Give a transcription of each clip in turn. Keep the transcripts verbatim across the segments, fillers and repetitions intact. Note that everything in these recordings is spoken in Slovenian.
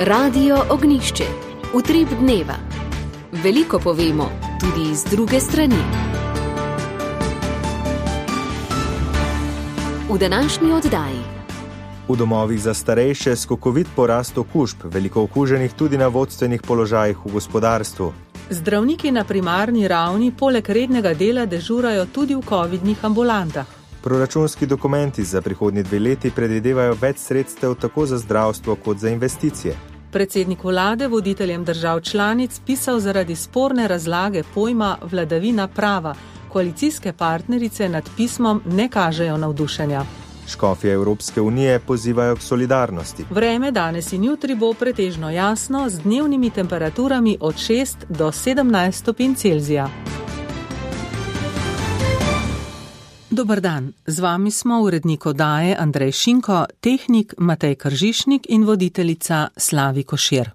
Radio Ognjišče. Utrip dneva. Veliko povemo, tudi iz druge strani. V današnji oddaji. V domovih za starejše skokovit porast okužb, veliko okuženih tudi na vodstvenih položajih v gospodarstvu. Zdravniki na primarni ravni poleg rednega dela dežurajo tudi v covidnih ambulantah. Proračunski dokumenti za prihodnji dve leti predvidevajo več sredstev tako za zdravstvo kot za investicije. Predsednik vlade voditeljem držav članic pisal zaradi sporne razlage pojma vladavina prava. Koalicijske partnerice nad pismom ne kažejo navdušenja. Škofje Evropske unije pozivajo k solidarnosti. Vreme danes in jutri bo pretežno jasno z dnevnimi temperaturami od šest do sedemnajst stopinj Celzija. Dober dan, z vami smo urednik oddaje Andrej Šinko, tehnik Matej Kržišnik in voditeljica Slavi Košir.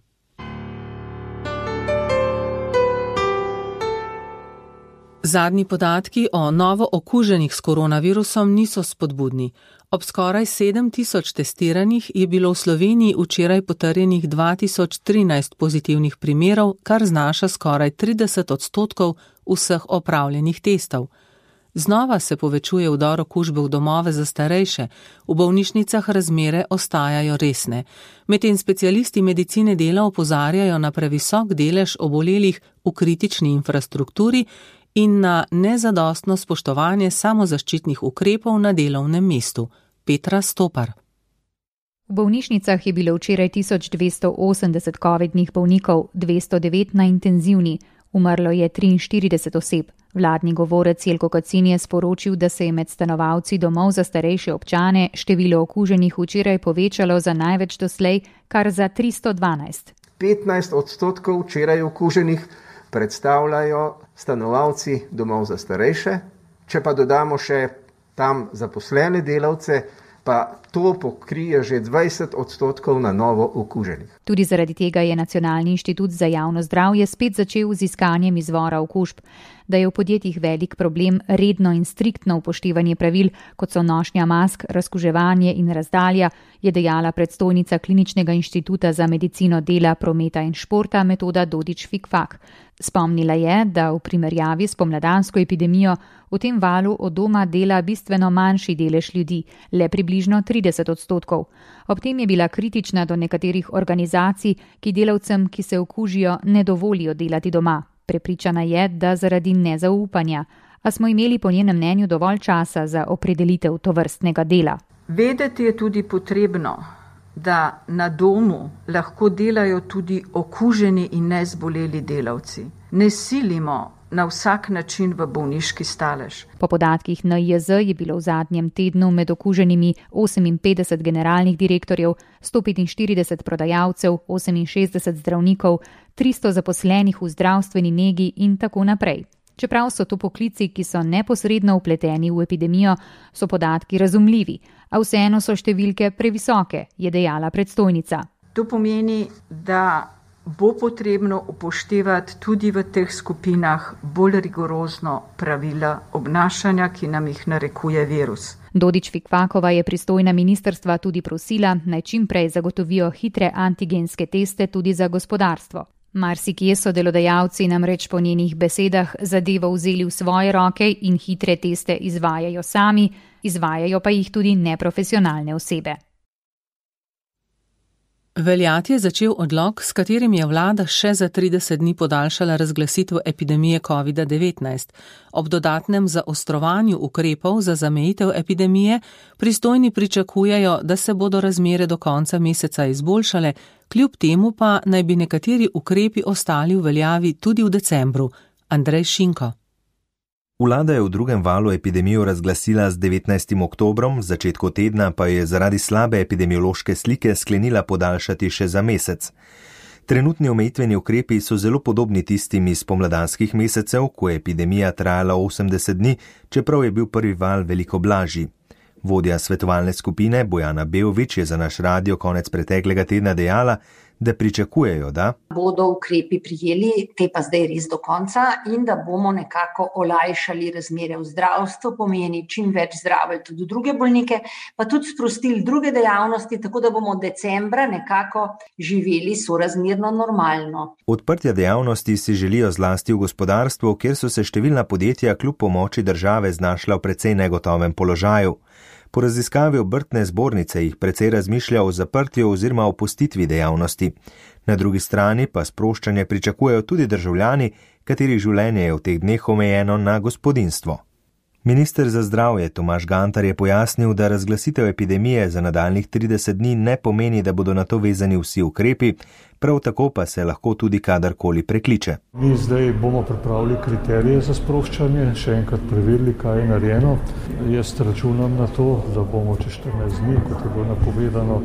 Zadnji podatki o novo okuženih s koronavirusom niso spodbudni. Ob skoraj sedem tisoč testiranih je bilo v Sloveniji včeraj potrjenih dva tisoč trinajst pozitivnih primerov, kar znaša skoraj trideset odstotkov vseh opravljenih testov. Znova se povečuje vdor okužbe v domove za starejše, v bolnišnicah razmere ostajajo resne. Medtem specialisti medicine dela opozarjajo na previsok delež obolelih v kritični infrastrukturi in na nezadostno spoštovanje samozaščitnih ukrepov na delovnem mestu. Petra Stopar. V bolnišnicah je bilo včeraj tisoč dvesto osemdeset covidnih bolnikov, dvesto devet na intenzivni, umrlo je triinštirideset oseb. Vladni govorec Jelko Kacin je sporočil, da se je med stanovalci domov za starejše občane število okuženih včeraj povečalo za največ doslej, kar za tristo dvanajst. petnajst odstotkov včeraj okuženih predstavljajo stanovalci domov za starejše, če pa dodamo še tam zaposlene delavce, pa to pokrije že dvajset odstotkov na novo okuženih. Tudi zaradi tega je Nacionalni inštitut za javno zdravje spet začel z iskanjem izvora okužb. Da je v podjetjih velik problem redno in striktno upoštevanje pravil, kot so nošnja mask, razkuževanje in razdalja, je dejala predstojnica Kliničnega inštituta za medicino dela, prometa in športa Metoda Dodič-Fikfak. Spomnila je, da v primerjavi s pomladansko epidemijo v tem valu od doma dela bistveno manjši delež ljudi, le približno trideset odstotkov. Ob tem je bila kritična do nekaterih organizacij, ki delavcem, ki se okužijo, ne dovolijo delati doma. Prepričana je, da zaradi nezaupanja, a smo imeli po njenem mnenju dovolj časa za opredelitev tovrstnega dela. Vedeti je tudi potrebno, da na domu lahko delajo tudi okuženi in nezboleli delavci. Ne silimo na vsak način v bolniški stalež. Po podatkih N I J Z je bilo v zadnjem tednu med okuženimi oseminpetdeset generalnih direktorjev, sto petinštirideset prodajalcev, oseminšestdeset zdravnikov, tristo zaposlenih v zdravstveni negi in tako naprej. Čeprav so to poklici, ki so neposredno vpleteni v epidemijo, so podatki razumljivi, a vseeno so številke previsoke, je dejala predstojnica. To pomeni, da bo potrebno upoštevati tudi v teh skupinah bolj rigorozno pravila obnašanja, ki nam jih narekuje virus. Dodič-Fikfakova je pristojna ministrstva tudi prosila, naj čim prej zagotovijo hitre antigenske teste tudi za gospodarstvo. Marsikje so delodajalci namreč po njenih besedah zadevo vzeli v svoje roke in hitre teste izvajajo sami, izvajajo pa jih tudi neprofesionalne osebe. Veljati je začel odlok, s katerim je vlada še za trideset dni podaljšala razglasitev epidemije covid devetnajst. Ob dodatnem zaostrovanju ukrepov za zamejitev epidemije pristojni pričakujejo, da se bodo razmere do konca meseca izboljšale, kljub temu pa naj bi nekateri ukrepi ostali v veljavi tudi v decembru. Andrej Šinko. Vlada je v drugem valu epidemijo razglasila z devetnajstim oktobrom, v začetku tedna pa je zaradi slabe epidemiološke slike sklenila podaljšati še za mesec. Trenutni omejitveni ukrepi so zelo podobni tistim iz pomladanskih mesecev, ko je epidemija trajala osemdeset dni, čeprav je bil prvi val veliko blažji. Vodja svetovalne skupine Bojana Beović je za naš radio konec preteklega tedna dejala, da pričakujejo, da bodo ukrepi prijeli, te pa zdaj res do konca, in da bomo nekako olajšali razmere v zdravstvu, pomeni čim več zdravili tudi druge bolnike, pa tudi sprostili druge dejavnosti, tako da bomo decembra nekako živeli sorazmerno normalno. Odprtja dejavnosti si želijo zlasti v gospodarstvu, kjer so se številna podjetja kljub pomoči države znašla v precej negotovem položaju. Po raziskavi obrtne zbornice jih precej razmišlja o zaprtju oziroma opustitvi dejavnosti. Na drugi strani pa sproščanje pričakujejo tudi državljani, katerih življenje je v teh dneh omejeno na gospodinjstvo. Minister za zdravje Tomaž Gantar je pojasnil, da razglasitev epidemije za nadaljnjih trideset dni ne pomeni, da bodo na to vezani vsi ukrepi, prav tako pa se lahko tudi kadarkoli prekliče. Mi zdaj bomo pripravili kriterije za sproščanje, še enkrat preverili, kaj je narejeno. Jaz računam na to, da bomo čez štirinajst dni, kot je bilo napovedano,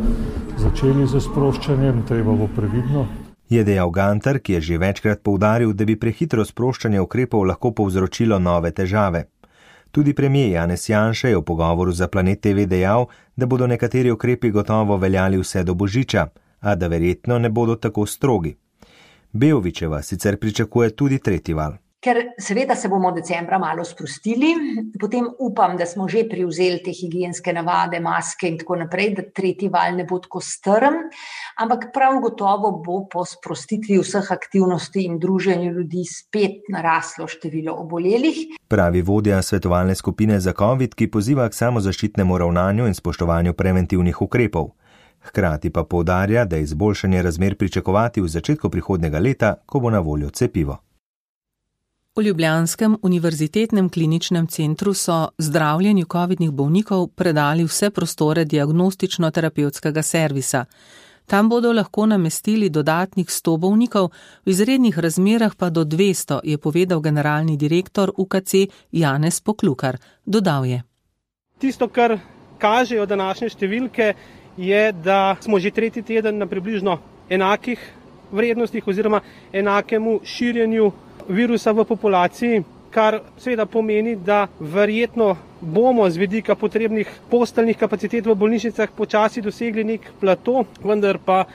začeli z sproščanjem, treba bo previdno. Je dejal Gantar, ki je že večkrat poudaril, da bi prehitro sproščanje ukrepov lahko povzročilo nove težave. Tudi premijer Janez Janša je v pogovoru za Planet T V dejal, da bodo nekateri ukrepi gotovo veljali vse do božiča, a da verjetno ne bodo tako strogi. Beovićeva sicer pričakuje tudi tretji val. Ker seveda se bomo decembra malo sprostili, potem upam, da smo že privzeli te higienske navade, maske in tako naprej, da tretji val ne bo tako strm, ampak prav gotovo bo po sprostitvi vseh aktivnosti in druženju ljudi spet naraslo število obolelih. Pravi vodja svetovalne skupine za COVID, ki poziva k samozaščitnemu ravnanju in spoštovanju preventivnih ukrepov. Hkrati pa poudarja, da je izboljšanje razmer pričakovati v začetku prihodnjega leta, ko bo na voljo cepivo. V ljubljanskem univerzitetnem kliničnem centru so zdravljenju covidnih bolnikov predali vse prostore diagnostično-terapevtskega servisa. Tam bodo lahko namestili dodatnih sto bolnikov, v izrednih razmerah pa do dvesto, je povedal generalni direktor U K C Janez Poklukar. Dodal je. Tisto, kar kažejo današnje številke, je, da smo že tretji teden na približno enakih vrednostih oziroma enakemu širjenju virusa v populaciji, kar seveda pomeni, da verjetno bomo z vidika potrebnih posteljnih kapacitet v bolnišnicah počasi dosegli nek plato, vendar pa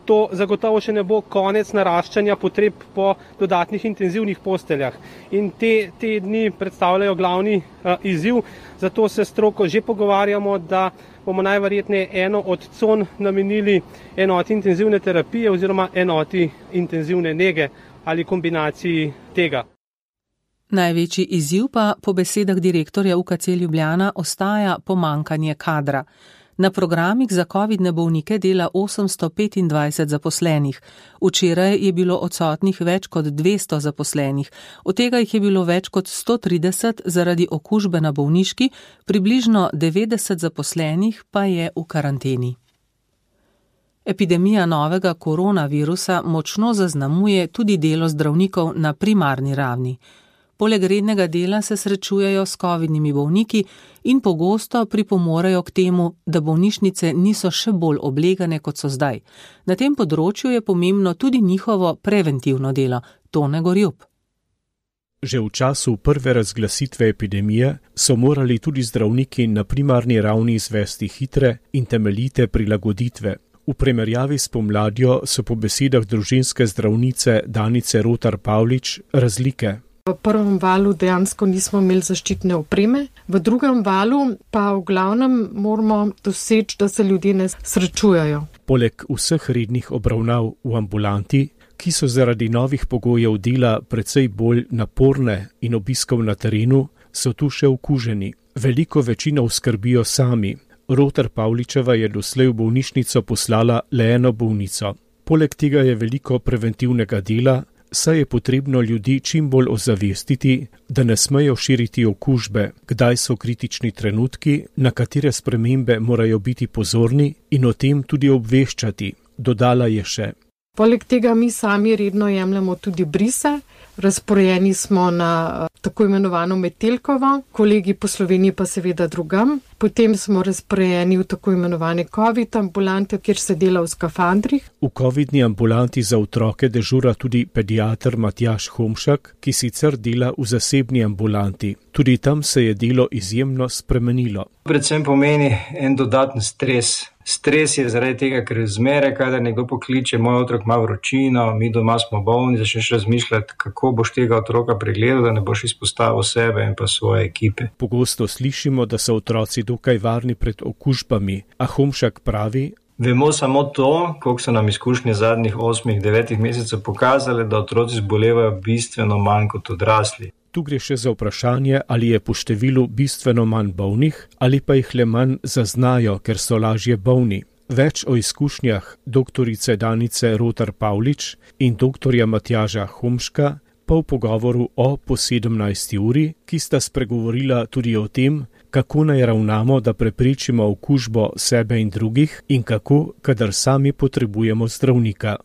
to zagotovo še ne bo konec naraščanja potreb po dodatnih intenzivnih posteljah. In te, te dni predstavljajo glavni uh, izziv, zato se stroko že pogovarjamo, da bomo najverjetneje eno od con namenili enoti intenzivne terapije oziroma enoti intenzivne nege ali kombinaciji tega. Največji izziv pa po besedah direktorja U K C Ljubljana ostaja pomankanje kadra. Na programih za covidne bolnike dela osemsto petindvajset zaposlenih. Včeraj je bilo odsotnih več kot dvesto zaposlenih, od tega jih je bilo več kot sto trideset zaradi okužbe na bolniški, približno devetdeset zaposlenih pa je v karanteni. Epidemija novega koronavirusa močno zaznamuje tudi delo zdravnikov na primarni ravni. Poleg rednega dela se srečujejo s covidnimi bolniki in pogosto pripomorejo k temu, da bolnišnice niso še bolj oblegane, kot so zdaj. Na tem področju je pomembno tudi njihovo preventivno delo. Tone Gorjup. Že v času prve razglasitve epidemije so morali tudi zdravniki na primarni ravni izvesti hitre in temeljite prilagoditve. V primerjavi s pomladjo so po besedah družinske zdravnice Danice Rotar Pavlič razlike. V prvem valu dejansko nismo imeli zaščitne opreme, v drugem valu pa v glavnem moramo doseči, da se ljudje ne srečujejo. Poleg vseh rednih obravnav v ambulanti, ki so zaradi novih pogojev dela precej bolj naporne in obiskov na terenu, so tu še okuženi. Veliko večino skrbijo sami. Rotar Pavličeva je doslej v bolnišnico poslala le eno bolnico. Poleg tega je veliko preventivnega dela, saj je potrebno ljudi čim bolj ozavestiti, da ne smejo širiti okužbe, kdaj so kritični trenutki, na katere spremembe morajo biti pozorni in o tem tudi obveščati, dodala je še. Poleg tega mi sami redno jemljemo tudi brise, razporejeni smo na tako imenovano Metelkovo, kolegi po Sloveniji pa seveda drugam. Potem smo razporejeni v tako imenovane COVID ambulante, kjer se dela v skafandrih. V covidni ambulanti za otroke dežura tudi pediater Matjaž Homšak, ki sicer dela v zasebni ambulanti. Tudi tam se je delo izjemno spremenilo. Predvsem pomeni en dodaten stres. Stres je zaradi tega, ker zmeraj, kadar nekdo pokliče, moj otrok ima vročino, mi doma smo bolni, začneš razmišljati, kako boš tega otroka pregledal, da ne boš izpostavil sebe in pa svoje ekipe. Pogosto slišimo, da so otroci dokaj varni pred okužbami, a Homšak pravi: Vemo samo to, koliko so nam izkušnje zadnjih osmih, devetih mesecev pokazali, da otroci zbolevajo bistveno manj kot odrasli. Tu gre še za vprašanje, ali je po številu bistveno manj bolnih, ali pa jih le manj zaznajo, ker so lažje bolni. Več o izkušnjah doktorice Danice Rotar Pavlič in doktorja Matjaža Homška pa v pogovoru o po sedemnajsti uri, ki sta spregovorila tudi o tem, kako naj ravnamo, da preprečimo okužbo sebe in drugih in kako, kadar sami potrebujemo zdravnika.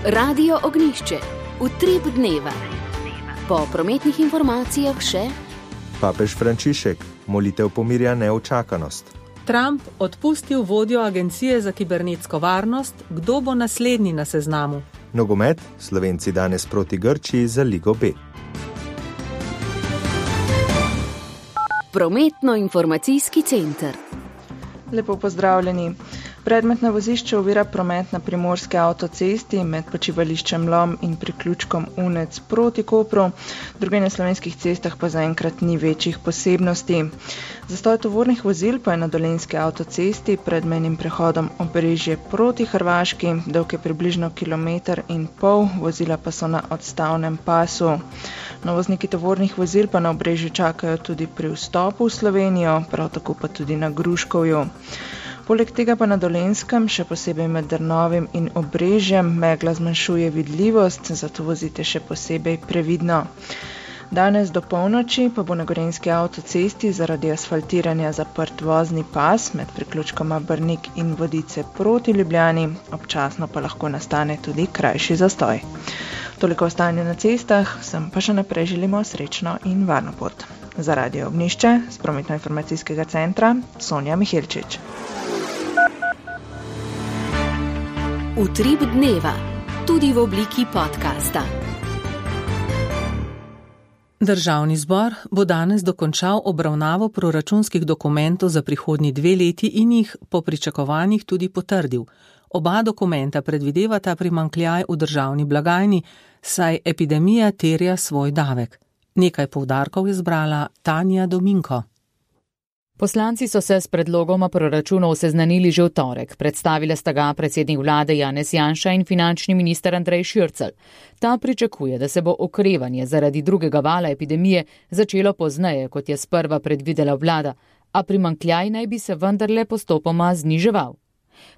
Radio Ognjišče, utrip dneva. Po prometnih informacijah še papež Frančišek, molitev pomirja neučakanost. Trump odpustil vodjo Agencije za kibernetsko varnost, kdo bo naslednji na seznamu. Nogomet, Slovenci danes proti Grčiji za Ligo B. Prometno-informacijski center. Lepo pozdravljeni. Predmet na vozišču ovira promet na primorski avtocesti med počivališčem Lom in priključkom Unec proti Kopru. Druge na slovenskih cestah pa zaenkrat ni večjih posebnosti. Zastoj tovornih vozil pa je na dolenjski avtocesti pred mejnim prehodom Obrežje proti Hrvaški, dolg je približno kilometer in pol, vozila pa so na odstavnem pasu. Novozniki tovornih vozil pa na Obrežju čakajo tudi pri vstopu v Slovenijo, prav tako pa tudi na Gruškovju. Poleg tega pa na Dolenjskem, še posebej med Drnovim in Obrežjem, megla zmanjšuje vidljivost, zato vozite še posebej previdno. Danes do polnoči pa bo na gorenjski avtocesti zaradi asfaltiranja zaprt vozni pas med priključkoma Brnik in Vodice proti Ljubljani, občasno pa lahko nastane tudi krajši zastoj. Toliko o stanju na cestah, sem pa še naprej želimo srečno in varno pot. Za Radio Ognjišče z prometno-informacijskega centra Sonja Miheličič. Utrip dneva, tudi v obliki podcasta. Državni zbor bo danes dokončal obravnavo proračunskih dokumentov za prihodnji dve leti in jih po pričakovanjih tudi potrdil. Oba dokumenta predvidevata primanjkljaj v državni blagajni, saj epidemija terja svoj davek. Nekaj poudarkov je zbrala Tanja Dominko. Poslanci so se s predlogoma proračunov seznanili že v torek. Predstavila sta ga predsednik vlade Janez Janša in finančni minister Andrej Šircelj. Ta pričakuje, da se bo okrevanje zaradi drugega vala epidemije začelo pozneje, kot je sprva predvidela vlada, a primanjkljaj naj bi se vendarle postopoma zniževal.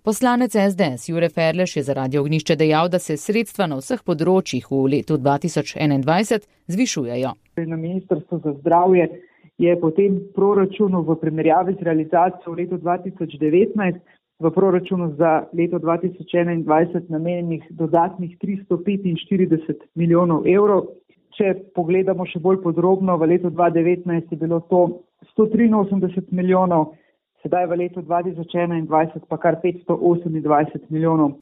Poslanec S D S Jure Ferleš je za Radio Ognjišče dejal, da se sredstva na vseh področjih v letu dva tisoč enaindvajset zvišujejo. Na Ministrstvu za zdravje je po tem proračunu v primerjavi z realizacijo v letu dva tisoč devetnajst v proračunu za leto dva tisoč enaindvajset namenjenih dodatnih tristo petinštirideset milijonov evrov. Če pogledamo še bolj podrobno, v letu dva tisoč devetnajst je bilo to sto triinosemdeset milijonov, sedaj v letu dva tisoč enaindvajset pa kar petsto osemindvajset milijonov.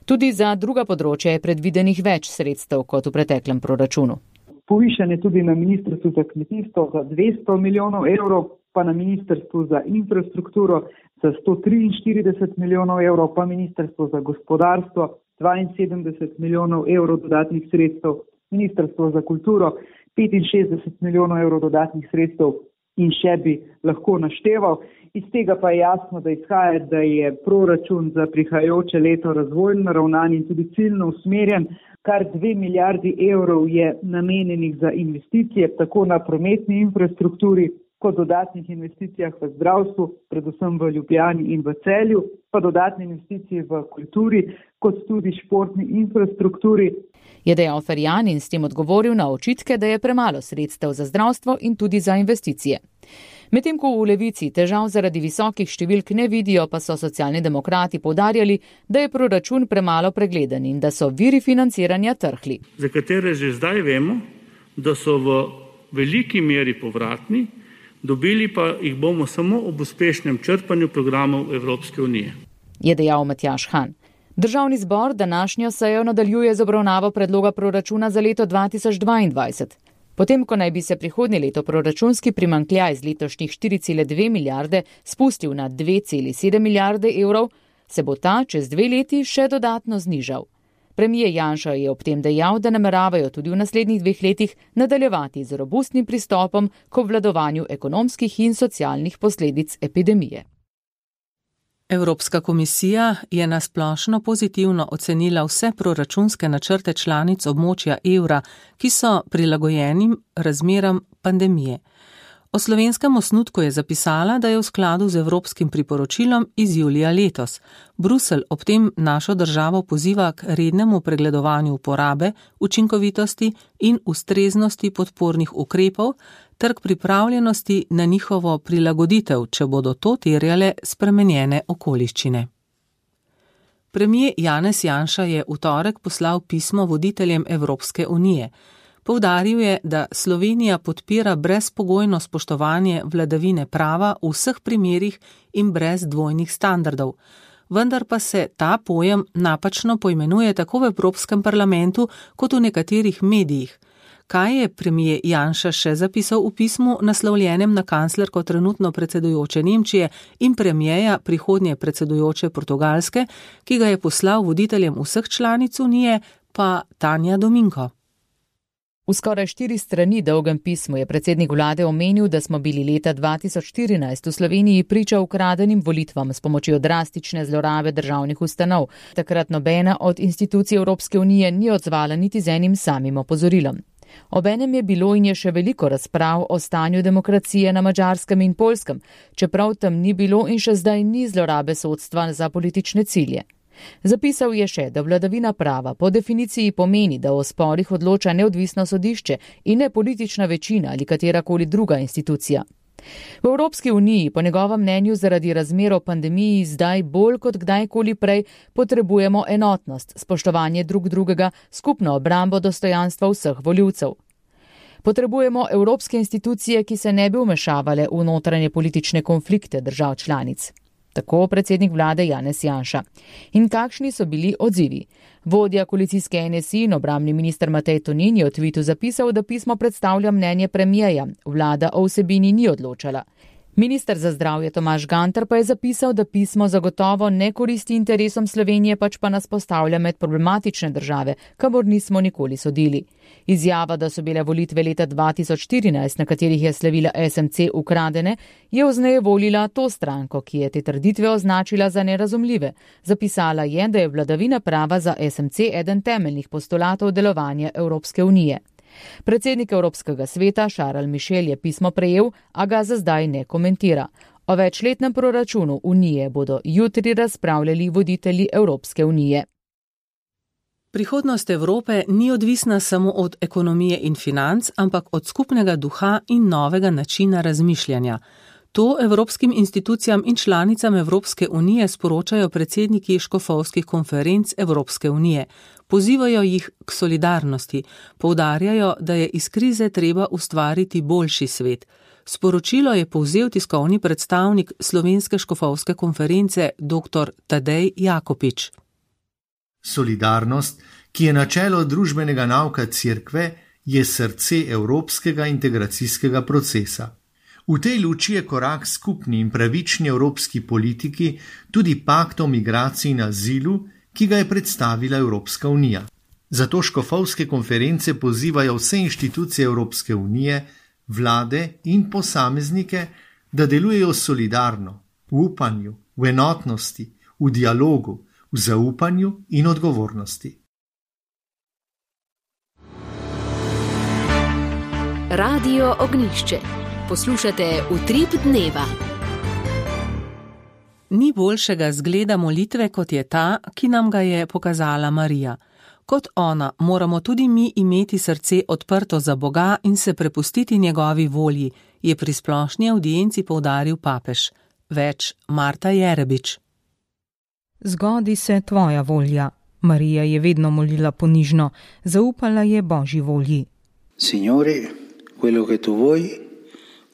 Tudi za druga področja je predvidenih več sredstev kot v preteklem proračunu. Povišanje tudi na Ministrstvu za kmetijstvo za dvesto milijonov evrov, pa na Ministrstvu za infrastrukturo za sto triinštirideset milijonov evrov, pa Ministrstvo za gospodarstvo dvainsedemdeset milijonov evrov dodatnih sredstev, Ministrstvo za kulturo petinšestdeset milijonov evrov dodatnih sredstev in še bi lahko našteval. Iz tega pa je jasno, da izhaja, da je proračun za prihajajoče leto razvojno naravnan in tudi ciljno usmerjen. Kar dve milijardi evrov je namenjenih za investicije, tako na prometni infrastrukturi, kot dodatnih investicijah v zdravstvu, predvsem v Ljubljani in v Celju, pa dodatne investicije v kulturi, kot tudi športni infrastrukturi. Je dejal Ferjan in s tem odgovoril na očitke, da je premalo sredstev za zdravstvo in tudi za investicije. Medtem ko v Levici težav zaradi visokih številk ne vidijo, pa so socialni demokrati poudarjali, da je proračun premalo pregleden in da so viri financiranja trhli. Za katere že zdaj vemo, da so v veliki meri povratni, dobili pa jih bomo samo ob uspešnem črpanju programov Evropske unije. Je dejal Matjaž Han. Državni zbor današnjo sejo nadaljuje z obravnavo predloga proračuna za leto dva tisoč dvaindvajset. Potem, ko naj bi se prihodnje leto proračunski primanjkljaj z letošnjih štiri cele dve milijarde spustil na dve cele sedem milijarde evrov, se bo ta čez dve leti še dodatno znižal. Premijer Janša je ob tem dejal, da nameravajo tudi v naslednjih dveh letih nadaljevati z robustnim pristopom k obvladovanju ekonomskih in socialnih posledic epidemije. Evropska komisija je na splošno pozitivno ocenila vse proračunske načrte članic območja evra, ki so prilagojenim razmeram pandemije. O slovenskem osnutku je zapisala, da je v skladu z evropskim priporočilom iz julija letos. Bruselj ob tem našo državo poziva k rednemu pregledovanju uporabe, učinkovitosti in ustreznosti podpornih ukrepov ter k pripravljenosti na njihovo prilagoditev, če bodo to terjale spremenjene okoliščine. Premijer Janez Janša je v torek poslal pismo voditeljem Evropske unije. Poudaril je, da Slovenija podpira brezpogojno spoštovanje vladavine prava v vseh primerih in brez dvojnih standardov. Vendar pa se ta pojem napačno poimenuje tako v Evropskem parlamentu kot v nekaterih medijih. Kaj je premijer Janša še zapisal v pismu, naslovljenem na kanclerko trenutno predsedujoče Nemčije in premijeja prihodnje predsedujoče Portugalske, ki ga je poslal voditeljem vseh članic Unije, pa Tanja Dominko. V skoraj štiri strani dolgem pismu je predsednik vlade omenil, da smo bili leta dva tisoč štirinajst v Sloveniji priča ukradenim volitvam s pomočjo drastične zlorabe državnih ustanov. Takrat nobena od institucij Evropske unije ni odzvala niti z enim samim opozorilom. Obenem je bilo in je še veliko razprav o stanju demokracije na Madžarskem in Poljskem, čeprav tam ni bilo in še zdaj ni zlorabe sodstva za politične cilje. Zapisal je še, da vladavina prava po definiciji pomeni, da o sporih odloča neodvisno sodišče in ne politična večina ali katerakoli druga institucija. V Evropski uniji, po njegovem mnenju, zaradi razmer o pandemiji zdaj bolj kot kdajkoli prej potrebujemo enotnost, spoštovanje drug drugega, skupno obrambo dostojanstva vseh voljivcev. Potrebujemo evropske institucije, ki se ne bi vmešavale v notranje politične konflikte držav članic. Tako predsednik vlade Janez Janša. In kakšni so bili odzivi? Vodja koalicijske N S I in obrambni minister Matej Tonin je v tvitu zapisal, da pismo predstavlja mnenje premijeja. Vlada o vsebini ni odločala. Minister za zdravje Tomaž Gantar pa je zapisal, da pismo zagotovo ne koristi interesom Slovenije, pač pa nas postavlja med problematične države, kamor nismo nikoli sodili. Izjava, da so bile volitve leta dva tisoč štirinajst, na katerih je slavila S M C, ukradene, je vznejevoljila to stranko, ki je te trditve označila za nerazumljive. Zapisala je, da je vladavina prava za S M C eden temeljnih postulatov delovanja Evropske unije. Predsednik Evropskega sveta Charles Michel je pismo prejel, a ga za zdaj ne komentira. O večletnem proračunu Unije bodo jutri razpravljali voditelji Evropske unije. Prihodnost Evrope ni odvisna samo od ekonomije in financ, ampak od skupnega duha in novega načina razmišljanja. To evropskim institucijam in članicam Evropske unije sporočajo predsedniki škofovskih konferenc Evropske unije. Pozivajo jih k solidarnosti, poudarjajo, da je iz krize treba ustvariti boljši svet. Sporočilo je povzel tiskovni predstavnik Slovenske škofovske konference dr. Tadej Jakopič. Solidarnost, ki je načelo družbenega nauka Cerkve, je srce evropskega integracijskega procesa. V tej luči je korak skupni in pravični evropski politiki tudi pakt o migraciji in azilu, ki ga je predstavila Evropska unija. Zato škofovske konference pozivajo vse inštitucije Evropske unije, vlade in posameznike, da delujejo solidarno, v upanju, v enotnosti, v dialogu, v zaupanju in odgovornosti. Radio Ognjišče. Poslušate Utrip dneva. Ni boljšega zgleda molitve, kot je ta, ki nam ga je pokazala Marija. Kot ona moramo tudi mi imeti srce odprto za Boga in se prepustiti njegovi volji, je pri splošni avdienci poudaril papež. Več Marta Jerebič. Zgodi se tvoja volja. Marija je vedno molila ponižno, zaupala je Božji volji. Signore, quello che tu vuoi,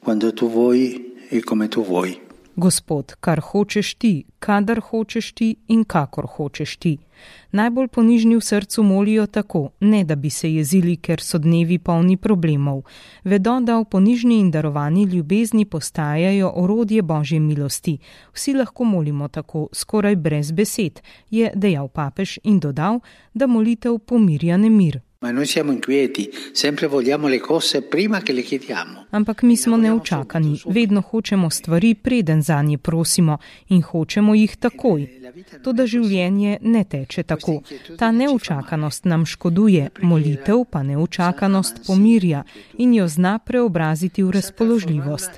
quando tu vuoi e come tu vuoi. Gospod, kar hočeš ti, kadar hočeš ti in kakor hočeš ti. Najbolj ponižni v srcu molijo tako, ne da bi se jezili, ker so dnevi polni problemov. Vedo, da v ponižni in darovani ljubezni postajajo orodje Božje milosti. Vsi lahko molimo tako, skoraj brez besed, je dejal papež in dodal, da molitev pomirja nemir. Ma noi siamo inquieti, sempre vogliamo le cose prima che le chiediamo. Ampak mi smo neučakani, vedno hočemo stvari, preden zanje prosimo in hočemo jih takoj. Toda življenje ne teče tako. Ta neučakanost nam škoduje, molitev pa neučakanost pomirja in jo zna preobraziti v razpoložljivost.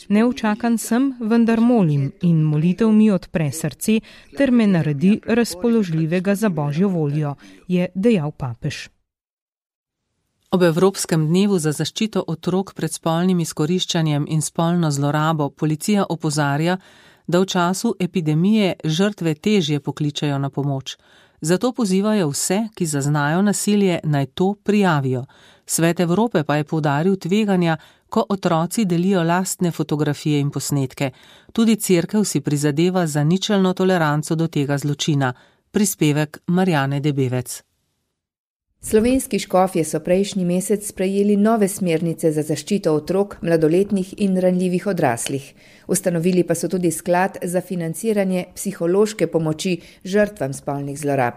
Neučakan sem, vendar molim in molitev mi odpre srce ter me naredi razpoložljivega za Božjo voljo, je dejal papež. Ob Evropskem dnevu za zaščito otrok pred spolnim izkoriščanjem in spolno zlorabo policija opozarja, da v času epidemije žrtve težje pokličejo na pomoč. Zato pozivajo vse, ki zaznajo nasilje, naj to prijavijo. Svet Evrope pa je poudaril tveganja, ko otroci delijo lastne fotografije in posnetke. Tudi cerkev si prizadeva za ničelno toleranco do tega zločina. Prispevek Marjane Debevec. Slovenski škofje so prejšnji mesec sprejeli nove smernice za zaščito otrok, mladoletnih in ranljivih odraslih. Ustanovili pa so tudi sklad za financiranje psihološke pomoči žrtvam spolnih zlorab.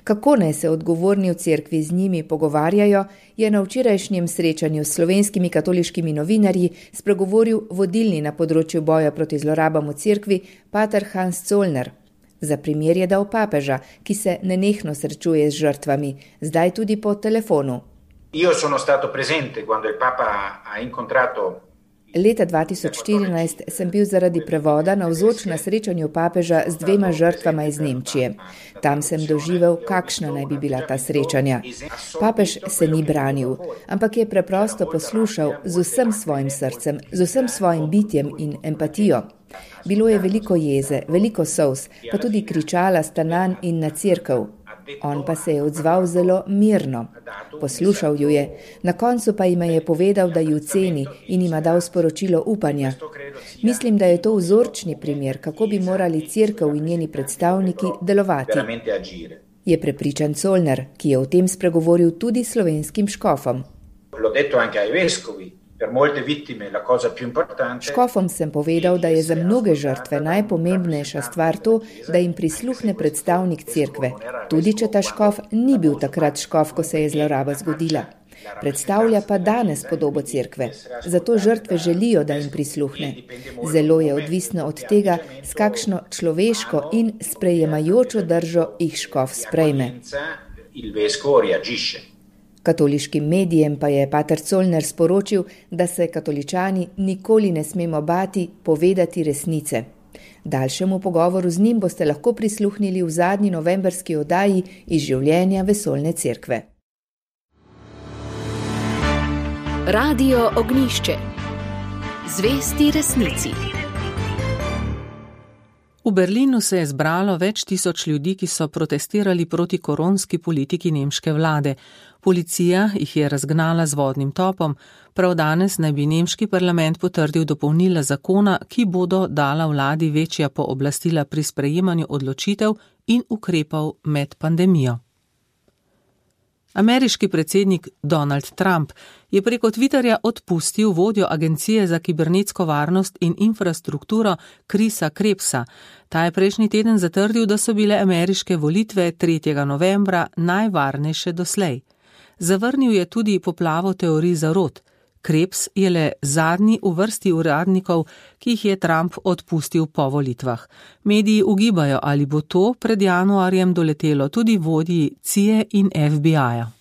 Kako naj se odgovorni v cerkvi z njimi pogovarjajo, je na včerajšnjem srečanju s slovenskimi katoliškimi novinarji spregovoril vodilni na področju boja proti zlorabam v cerkvi pater Hans Zollner. Za primer je dal papeža, ki se nenehno srečuje z žrtvami, zdaj tudi po telefonu. Io sono stato presente quando il Papa ha incontrato. Leta dva tisoč štirinajst sem bil zaradi prevoda navzoč na srečanju papeža z dvema žrtvama iz Nemčije. Tam sem doživel, kakšna naj bi bila ta srečanja. Papež se ni branil, ampak je preprosto poslušal z vsem svojim srcem, z vsem svojim bitjem in empatijo. Bilo je veliko jeze, veliko solz, pa tudi kričala sta nanj in na cerkev. On pa se je odzval zelo mirno. Poslušal ju je, na koncu pa jima je povedal, da ju ceni in jima dal sporočilo upanja. Mislim, da je to vzorčni primer, kako bi morali cerkev in njeni predstavniki delovati. Je prepričan Zollner, ki je o tem spregovoril tudi slovenskim škofom. Škofom sem povedal, da je za mnoge žrtve najpomembnejša stvar to, da jim prisluhne predstavnik cerkve, tudi če ta škof ni bil takrat škof, ko se je zloraba zgodila. Predstavlja pa danes podobo cerkve, zato žrtve želijo, da jim prisluhne. Zelo je odvisno od tega, s kakšno človeško in sprejemajočo držo jih škof sprejme. Katoliškim medijem pa je pater Zollner sporočil, da se katoličani nikoli ne smemo bati povedati resnice. Daljšemu pogovoru z njim boste lahko prisluhnili v zadnji novemberski oddaji iz življenja Vesoljne cerkve. Radio Ognjišče. Zvesti resnici. V Berlinu se je zbralo več tisoč ljudi, ki so protestirali proti koronski politiki nemške vlade. Policija jih je razgnala z vodnim topom. Prav danes naj bi nemški parlament potrdil dopolnila zakona, ki bodo dala vladi večja pooblastila pri sprejemanju odločitev in ukrepov med pandemijo. Ameriški predsednik Donald Trump je preko Twitterja odpustil vodjo Agencije za kibernetsko varnost in infrastrukturo Chrisa Krebsa. Ta je prejšnji teden zatrdil, da so bile ameriške volitve tretjega novembra najvarnejše doslej. Zavrnil je tudi poplavo teorij zarot. Krebs je le zadnji v vrsti uradnikov, ki jih je Trump odpustil po volitvah. Mediji ugibajo, ali bo to pred januarjem doletelo tudi vodji C I A in F B I-ja.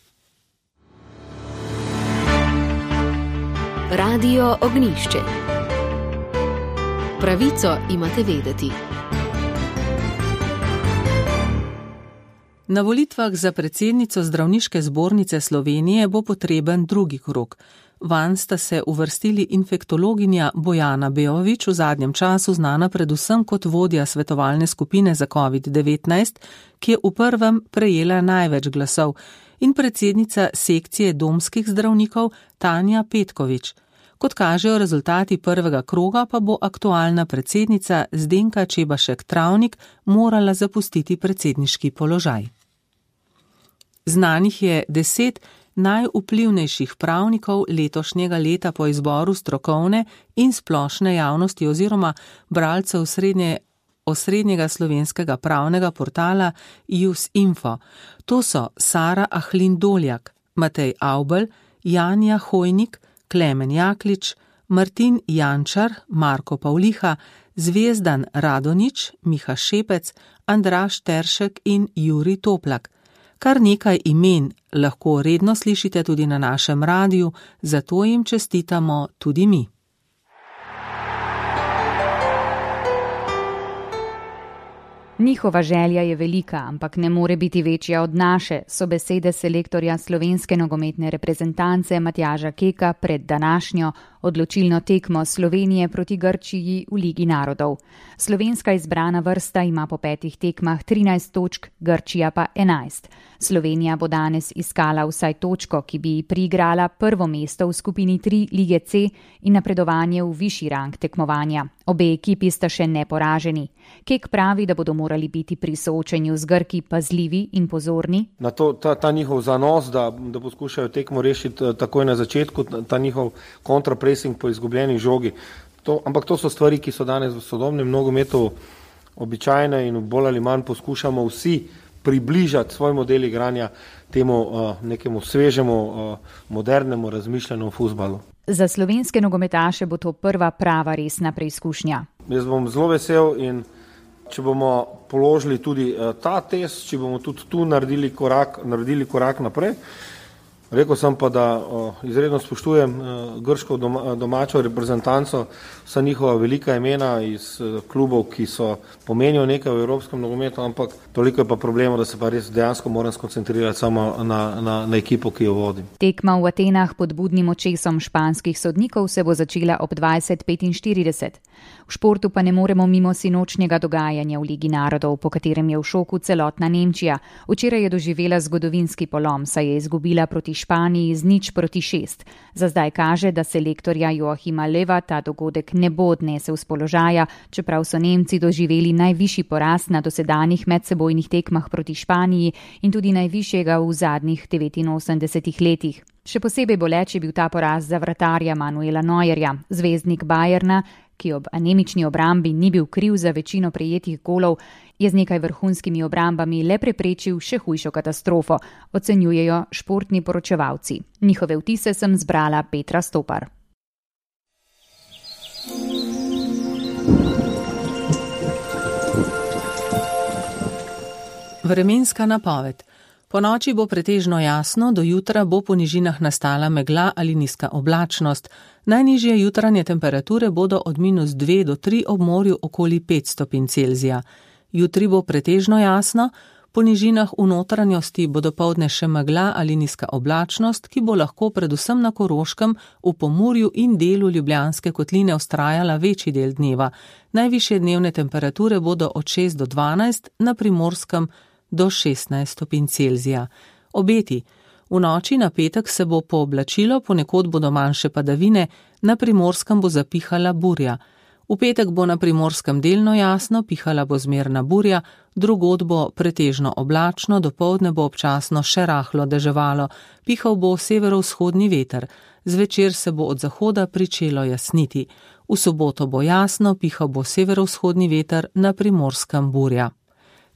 Radio Ognjišče. Pravico imate vedeti. Na volitvah za predsednico Zdravniške zbornice Slovenije bo potreben drugi krog. Vanj sta se uvrstili infektologinja Bojana Beovič, v zadnjem času znana predvsem kot vodja svetovalne skupine za covid devetnajst, ki je v prvem prejela največ glasov, in predsednica sekcije domskih zdravnikov Tanja Petkovič. Kot kažejo rezultati prvega kroga, pa bo aktualna predsednica Zdenka Čebašek Travnik morala zapustiti predsedniški položaj. Znanih je deset najvplivnejših pravnikov letošnjega leta po izboru strokovne in splošne javnosti oziroma bralcev srednje, osrednjega slovenskega pravnega portala Jusinfo. To so Sara Ahlin Doljak, Matej Avbelj, Janja Hojnik, Klemen Jaklič, Martin Jančar, Marko Pavliha, Zvezdan Radonič, Miha Šepec, Andraž Teršek in Jurij Toplak. Kar nekaj imen lahko redno slišite tudi na našem radiju, zato jim čestitamo tudi mi. Njihova želja je velika, ampak ne more biti večja od naše, so besede selektorja slovenske nogometne reprezentance Matjaža Keka pred današnjo odločilno tekmo Slovenije proti Grčiji v Ligi narodov. Slovenska izbrana vrsta ima po petih tekmah trinajst točk, Grčija pa enajst. Slovenija bo danes iskala vsaj točko, ki bi ji priigrala prvo mesto v skupini tri Lige C in napredovanje v višji rang tekmovanja. Obe ekipi sta še neporaženi. Kek pravi, da bodo morali biti pri soočenju z Grki pazljivi in pozorni. Na to, ta, ta njihov zanos, da, da poskušajo tekmo rešiti takoj na začetku, ta njihov kontrapresing po izgubljeni žogi. To, ampak to so stvari, ki so danes v sodobnem nogometu običajne in bolj ali manj poskušamo vsi približati svoj model igranja temu uh, nekemu svežemu, uh, modernemu razmišljanju o fuzbalu. Za slovenske nogometaše bo to prva prava resna preizkušnja. Jaz bom zelo vesel in če bomo položili tudi uh, ta test, če bomo tudi tu naredili korak, naredili korak naprej. Rekel sem pa, da uh, izredno spoštujem uh, grško doma, domačo reprezentanco, vsa njihova velika imena iz uh, klubov, ki so pomenijo nekaj v evropskem nogometu, ampak toliko je pa problema, da se pa res dejansko moram skoncentrirati samo na, na, na ekipo, ki jo vodim. Tekma v Atenah pod budnim očesom španskih sodnikov se bo začela ob dvajset petinštirideset. V športu pa ne moremo mimo sinočnjega dogajanja v Ligi narodov, po katerem je v šoku celotna Nemčija. Včeraj je doživela zgodovinski polom, saj je izgubila proti Španiji z nič proti šest. Za zdaj kaže, da selektorja Joachima Löwa ta dogodek ne bo odnesel z položaja, čeprav so Nemci doživeli najvišji poraz na dosedanjih medsebojnih tekmah proti Španiji in tudi najvišjega v zadnjih devetinosemdesetih letih. Še posebej boleč je bil ta poraz za vratarja Manuela Neuerja. Zvezdnik Bayerna, ki ob anemični obrambi ni bil kriv za večino prejetih golov, je z nekaj vrhunskimi obrambami le preprečil še hujšo katastrofo, ocenjujejo športni poročevalci. Njihove vtise sem zbrala Petra Stopar. Vremenska napoved. Po noči bo pretežno jasno, do jutra bo po nižinah nastala megla ali nizka oblačnost. Najnižje jutranje temperature bodo od minus dve do tri ob morju okoli pet stopinj Celzija. Jutri bo pretežno jasno, po nižinah v notranjosti bo dopoldne še megla ali nizka oblačnost, ki bo lahko predvsem na Koroškem, v Pomurju in delu Ljubljanske kotline vztrajala večji del dneva. Najvišje dnevne temperature bodo od šest do dvanajst, na Primorskem do šestnajst stopinj Celzija. Obeti. V noči na petek se bo pooblačilo, ponekod bodo manjše padavine, na Primorskem bo zapihala burja. V petek bo na Primorskem delno jasno, pihala bo zmerna burja, drugod bo pretežno oblačno, dopoldne bo občasno še rahlo deževalo, pihal bo severovzhodni veter, zvečer se bo od zahoda pričelo jasniti. V soboto bo jasno, pihal bo severovzhodni veter, na Primorskem burja.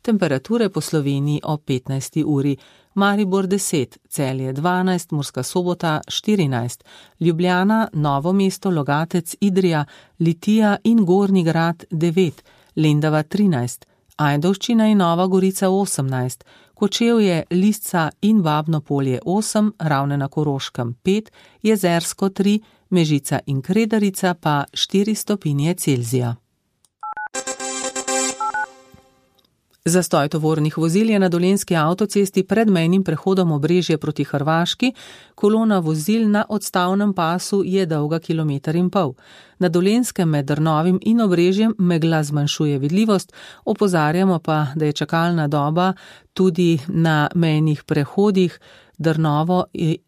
Temperature po Sloveniji ob petnajsti uri. Maribor deset, Celje dvanajst, Murska Sobota štirinajst, Ljubljana, Novo mesto, Logatec, Idrija, Litija in Gornji Grad devet, Lendava trinajst, Ajdovščina in Nova Gorica osemnajst, Kočevje, Lisca in Babno Polje osem, Ravne na Koroškem pet, Jezersko tri, Mežica in Kredarica pa štiri stopinje Celzija. Zastoj tovornih vozil je na dolenjski avtocesti pred mejnim prehodom Obrežje proti Hrvaški, kolona vozil na odstavnem pasu je dolga kilometer in pol. Na Dolenjskem med Drnovim in Obrežjem megla zmanjšuje vidljivost, opozarjamo pa, da je čakalna doba tudi na mejnih prehodih Drnovo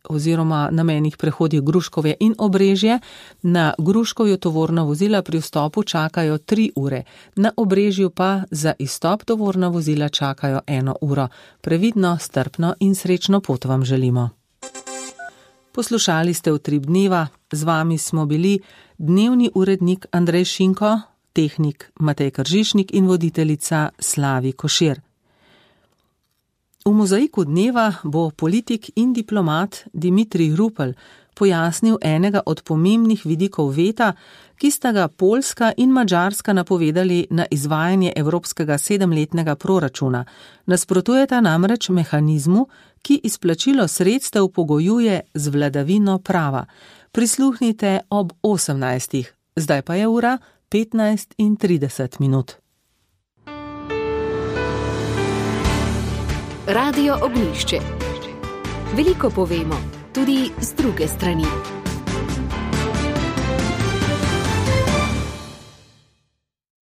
oziroma na mejnih prehodih Gruškovje in Obrežje. Na Gruškovju tovorna vozila pri vstopu čakajo tri ure, na Obrežju pa za izstop tovorna vozila čakajo eno uro. Previdno, strpno in srečno pot vam želimo. Poslušali ste Utrip dneva, z vami smo bili dnevni urednik Andrej Šinko, tehnik Matej Kržišnik in voditeljica Slavi Košir. V mozaiku dneva bo politik in diplomat Dimitrij Rupel pojasnil enega od pomembnih vidikov veta, ki sta ga Poljska in Madžarska napovedali na izvajanje evropskega sedemletnega proračuna. Nasprotujeta namreč mehanizmu, ki izplačilo sredstev pogojuje z vladavino prava. Prisluhnite ob osemnajstih, zdaj pa je ura petnajst in trideset minut. Radio Ognjišče. Veliko povemo, tudi z druge strani.